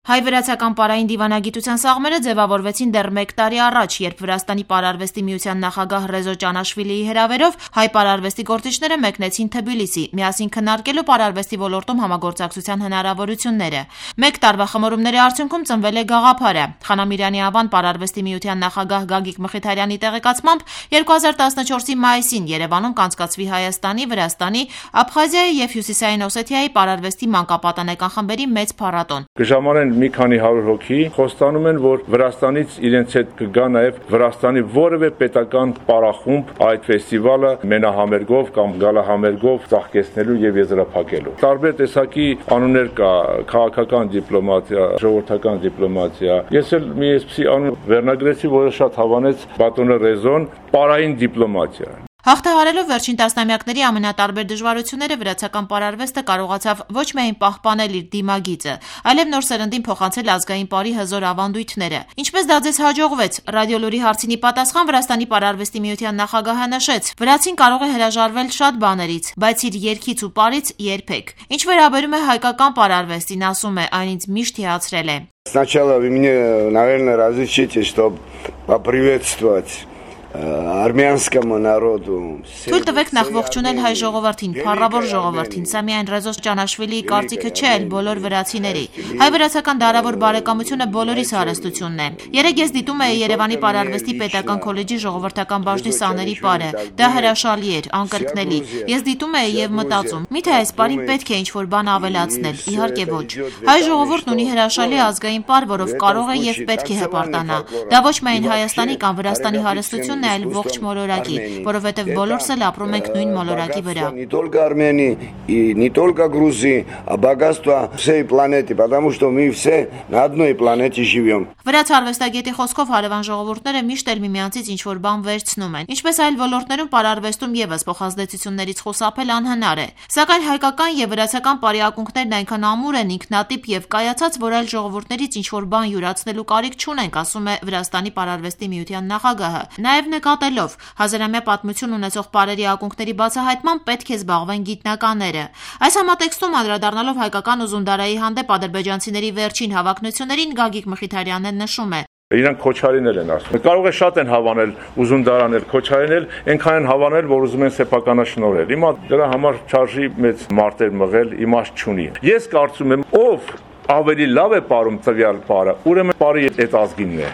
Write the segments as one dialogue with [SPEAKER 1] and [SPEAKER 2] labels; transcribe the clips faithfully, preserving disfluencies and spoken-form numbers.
[SPEAKER 1] Հայ-վրացական պարային դիվանագիտության սաղմերը ձևավորվեցին դեռ մեկ տարի առաջ, երբ Վրաստանի պարարվեստի միության նախագահ Ռեզո Ճանաշվիլիի հրավերով հայ պարարվեստի գործիչները մեկնեցին Թբիլիսի, միասին քննարկելու պարարվեստի ոլորտում համագործակցության հնարավորությունները։ Մեկ տարվա խմորումների արդյունքում ծնվել է գաղափարը։ Խանամիրյանի անվան պարարվեստի միության նախագահ Գագիկ Մխիթարյանի տեղեկացմամբ երկու հազար տասնչորսի մայիսին Երևանում կանցկացվի Հայաստանի, Վրաստանի, Աբխազիայի և Հյուսիսային Օսեթիայի պարարվեստի մանկապատանեկան խմբերի մեծ փառատոն։
[SPEAKER 2] Մի քանի հարյուր հոգի խոստանում են, որ Վրաստանից իրենց հետ կգա նաև Վրաստանի որևէ պետական պարախումբ այդ ֆեստիվալը մենահամերգով կամ գալահամերգով ծաղկեցնելու եւ եզրափակելու։ Տարբեր տեսակի անուններ կա՝ քաղաքական դիպլոմատիա, ժողովրդական դիպլոմատիա։ Ես էլ մի այսպիսի անուն վերնագրեցի, որը շատ հավանեց Բատոնը Ռեզոն՝ պարային դիպլոմատիա։
[SPEAKER 1] Հաղթահարելով վերջին տասնամյակների ամենատարբեր դժվարությունները վրացական պարարվեստը կարողացավ ոչ միայն պահպանել իր դիմագիծը, այլև նոր սերնդին փոխանցել ազգային պարի հզոր ավանդույթները։ Ինչպես դա ձեզ հաջողվեց, Ռադիոլուրի հարցինի պատասխան Վրաստանի պարարվեստի միության նախագահը նշեց. Վրացին կարող է հրաժարվել շատ բաներից, բայց իր երգից ու պարից երբեք։ Ինչ վերաբերում է հայկական պարարվեստին, ասում է, այն ինձ միշտ հիացրել է։
[SPEAKER 3] Сначала вы мне, наверное, разрешите, чтобы поприветствовать Արմենскому народу։
[SPEAKER 1] Թույլ տվեք նախ ողջունել հայ ժողովրդին, փառավոր ժողովրդին, սա միայն Ռեզո Ճանաշվիլիի կարծիքը չէ, այլ բոլոր վրացիների։ Հայ-վրացական դարավոր բարեկամությունը բոլորիս հարստությունն է։ Երեկ ես դիտում էի Երևանի պարարվեստի պետական քոլեջի ժողովրդական բաժնի սաների պարը։ Դա հրաշալի էր, անկրկնելի։ Ես դիտում էի եւ մտածում՝ միթե այս պարին պետք է ինչ-որ բան ավելացնել։ Իհարկե ոչ։ Հայ ժողովուրդն ունի հրաշալի ազգային պար, որով կարող է եւ պետք է հպարտանա։ Դա ոչ միայն Հայաստանի կամ Վրաստանի հարստություն այլ ողջ մոլորակի, որովհետև բոլորս էլ ապրում ենք նույն մոլորակի վրա։
[SPEAKER 3] Не только Армении и не только Грузии, а богатство всей планеты, потому что мы все на одной планете живем.
[SPEAKER 1] Վրաց արվեստագետի խոսքով հարևան ժողովուրդները միշտ էլ միմյանցից ինչ-որ բան վերցնում են։ Ինչպես այլ ոլորտներում պարարվեստում եւս փոխազդեցություններից խուսափել անհնար է։ Սակայն հայկական եւ վրացական պարի ակունքներն այնքան ամուր են, ինքնատիպ եւ կայացած, որ այլ ժողովուրդներից ինչ-որ բան յուրացնելու կարիք չունենք, ասում է Վրաստանի պարարվեստի միության նախագահը։ Նաեւ նկատելով հազարամյա պատմություն ունեցող պարերի ակունքների բացահայտման պետք է զբաղվեն գիտնականները։ Այս համատեքստում անդրադառնալով հայկական ուզունդարայի հանդեպ ադրբեջանցիների վերջին հավակնություններին Գագիկ Մխիթարյանն նշում է.
[SPEAKER 2] Իրանք Քոչարիներ են ասում։ Կարող է շատ են հավանել ուզունդարանել, Քոչարինել, այնքան են հավանել, որ ուզում են սեփականաշնորհել։ Հիմա դրա համար չարժի մեծ մարտեր մղել, իմաստ չունի։ Ես կարծում եմ, ով ավելի լավ է պարում տվյալ պարը, ուրեմն պարի այդ ազգինն է։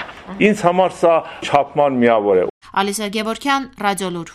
[SPEAKER 2] Ինձ համար սա չափման միավոր է։
[SPEAKER 1] Ալիսա Գևորգյան, Ռադիոլուր։